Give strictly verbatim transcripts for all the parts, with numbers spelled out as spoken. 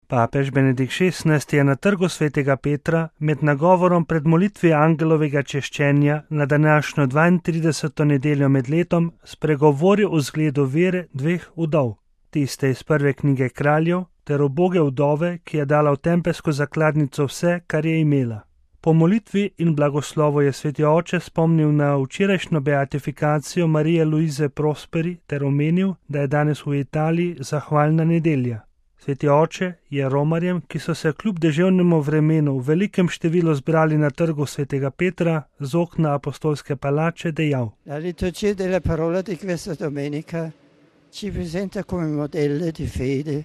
Papež Benedikt šestnajsti je na trgu svetega Petra med nagovorom pred molitvi angelovega češčenja na današnjo dvaintrideseto nedeljo med letom spregovoril o zgledu vere dveh vdov, tiste iz prve knjige Kraljev ter uboge vdove, ki je dala v tempelsko zakladnico vse, kar je imela. Po molitvi in blagoslovu je sveti oče spomnil na včerajšnjo beatifikacijo Marije Luize Prosperi ter omenil, da je danes v Italiji zahvalna nedelja. Sveti oče je romarjem, ki so se kljub deževnemu vremenu v velikem številu zbrali na trgu svetega Petra z okna apostolske palače, dejal: La liturgia della parola di questa domenica ci presenta come modelle di fede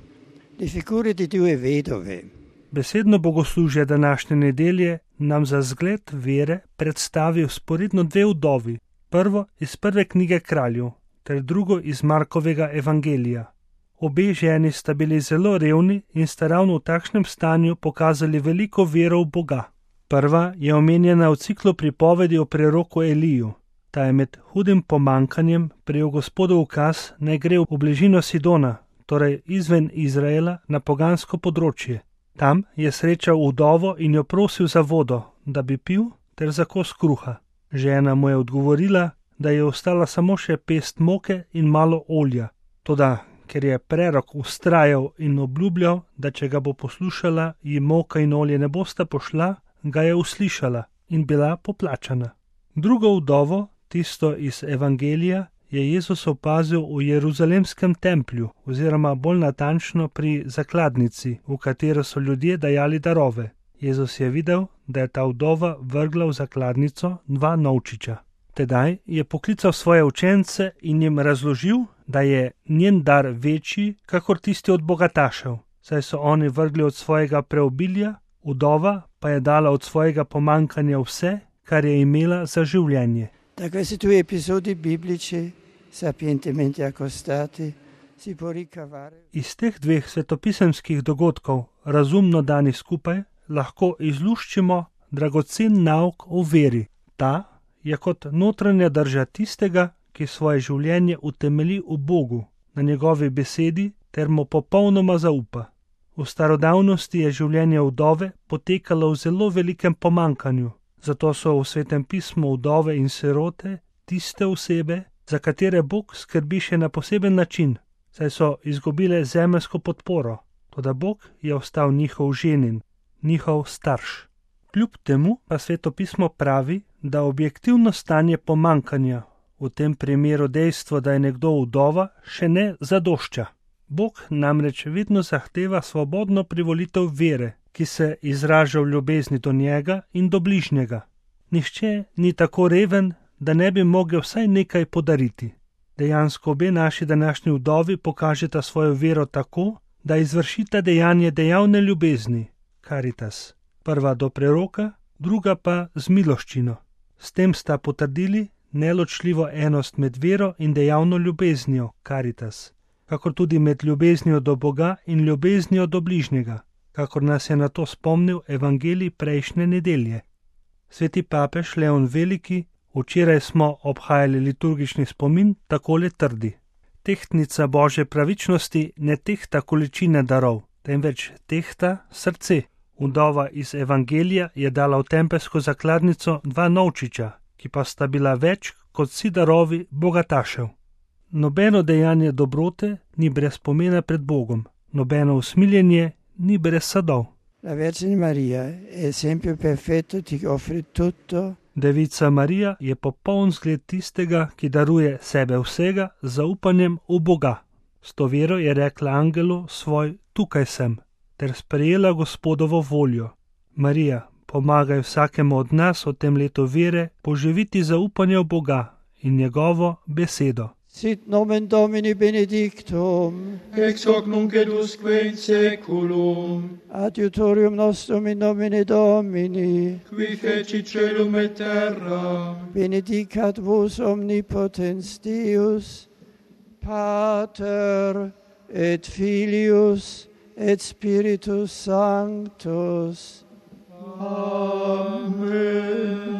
le figure di due vedove. Besedno bogoslužje današnje nedelje nam za zgled vere predstavi vzporedno dve vdovi, prvo iz prve knjige Kraljev ter drugo iz Markovega evangelija. Obe ženi sta bili zelo revni in sta ravno v takšnem stanju pokazali veliko vero v Boga. Prva je omenjena v ciklu pripovedi o preroku Eliju. Ta je med hudim pomankanjem prejel Gospodov ukaz, naj gre v bližino Sidona, torej izven Izraela, na pogansko področje. Tam je srečal vdovo in jo prosil za vodo, da bi pil, ter za kos kruha. Žena mu je odgovorila, da je ostala samo še pest moke in malo olja. Toda ker je prerok vztrajal in obljubljal, da če ga bo poslušala, ji moka in olje ne bosta pošla, ga je uslišala in bila poplačana. Drugo vdovo, tisto iz evangelija, je Jezus opazil v jeruzalemskem templju oziroma bolj natančno pri zakladnici, v katero so ljudje dajali darove. Jezus je videl, da je ta vdova vrgla v zakladnico dva novčiča. Tedaj je poklical svoje učence in jim razložil, da je njen dar večji, kakor tisti od bogatašev, saj so oni vrgli od svojega preobilja, vdova pa je dala od svojega pomankanja vse, kar je imela za življenje. Da questi due episodi biblici, sapientemente accostati, si può ricavare. Iz teh dveh svetopisemskih dogodkov, razumno dani skupaj, lahko izluščimo dragocen nauk o veri. Ta je kot notranja drža tistega, ki svoje življenje utemelji v Bogu, na njegovi besedi ter mu popolnoma zaupa. V starodavnosti je življenje vdove potekalo v zelo velikem pomankanju, zato so v Svetem pismu vdove in sirote tiste osebe, za katere Bog skrbi še na poseben način, saj so izgubile zemeljsko podporo, toda Bog je ostal njihov ženin, njihov starš. Kljub temu pa Sveto pismo pravi, da objektivno stanje pomankanja, v tem primeru dejstvo, da je nekdo vdova, še ne zadošča. Bog namreč vedno zahteva svobodno privolitev vere, ki se izraža v ljubezni do njega in do bližnjega. Nihče ni tako reven, da ne bi mogel vsaj nekaj podariti. Dejansko obe naši današnji vdovi pokažeta svojo vero tako, da izvršita dejanje dejavne ljubezni, caritas. Prva do preroka, druga pa z miloščino. S tem sta potrdili neločljivo enost med vero in dejavno ljubeznijo, caritas, kakor tudi med ljubeznijo do Boga in ljubeznijo do bližnjega, kakor nas je na to spomnil evangelij prejšnje nedelje. Sveti papež Leon Veliki, včeraj smo obhajali liturgični spomin, takole trdi: tehtnica Božje pravičnosti ne tehta količine darov, temveč tehta srce. Vdova iz evangelija je dala v tempelsko zakladnico dva novčiča, ki pa sta bila več kot vsi darovi bogatašev. Nobeno dejanje dobrote ni brez pomena pred Bogom, nobeno usmiljenje ni brez sadov. La Vergine Maria è esempio perfetto di offri tutto. Devica Marija je popoln zgled tistega, ki daruje sebe vsega z zaupanjem v Boga. S to vero je rekla angelu svoj: tukaj sem, ter sprejela Gospodovo voljo. Marija, pomagaj vsakemu od nas v tem letu vere poživiti zaupanje v Boga in njegovo besedo. Sit nomen Domini benedictum, ex hoc nunc et usque in saeculum, adiutorium nostrum in nomine Domini, qui feci celum et terra, benedicat vos omnipotens Deus, Pater et Filius et Spiritus Sanctus. Amen.